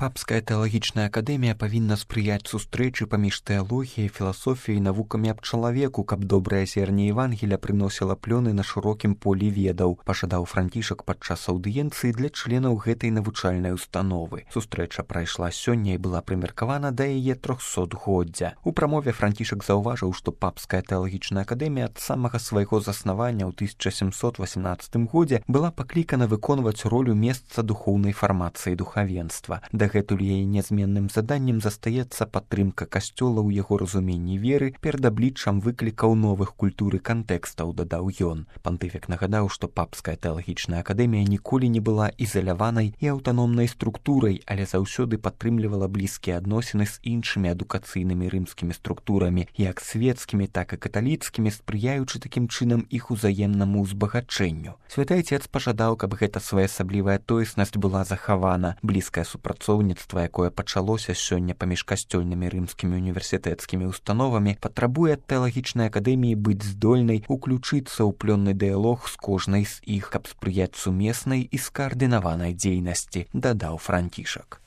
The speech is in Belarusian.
Папская тэалагічная акадэмія павінна спрыяць сустрэчы паміж тэалогіяй, філасофіяй і навукамі аб чалавеку, каб добрае зерне Евангеля прыносіла плёны на шырокім полі ведаў, пажадаў Францішак падчас аўдыенцыі для членаў гэтай навучальнай установы. Сустрэча прайшла сёння і была прымеркавана да яе 300-годдзя. У прамове Францішак заўважыў, што Папская тэалагічная акадэмія ад самага свайго заснавання ў 1718 годзе была паклікана выконваць ролю месца духоўнай фармацыі духавенства. Дагэтуль яе нязменным заданнем застаецца падтрымка касцёла ў яго разуменні веры перад абліччам выклікаў новых культур і кантэкстаў, дадаў ён. Пантыфік нагадаў, што Папская тэалагічная акадэмія ніколі не была ізаляванай і аўтаномнай структурай, але заўсёды падтрымлівала блізкія адносіны з іншымі адукацыйнымі рымскімі структурамі, як свецкімі, так і каталіцкімі, спрыяючы такім чынам іх узаемнаму ўзбагачэнню. Святы Айцец пажадаў, каб гэта своеасаблівая тоеснасць была захавана. Блізкае супрацоўніцтва, якое пачалося сёння паміж касцёльнымі рымскімі універсітэцкімі установамі, патрабуе ад тэалагічнай акадэміі быць здольнай уключыцца ў плённы дыялог з кожнай з іх, каб спрыяць сумеснай і скаардынаванай дзейнасці, дадаў Францішак.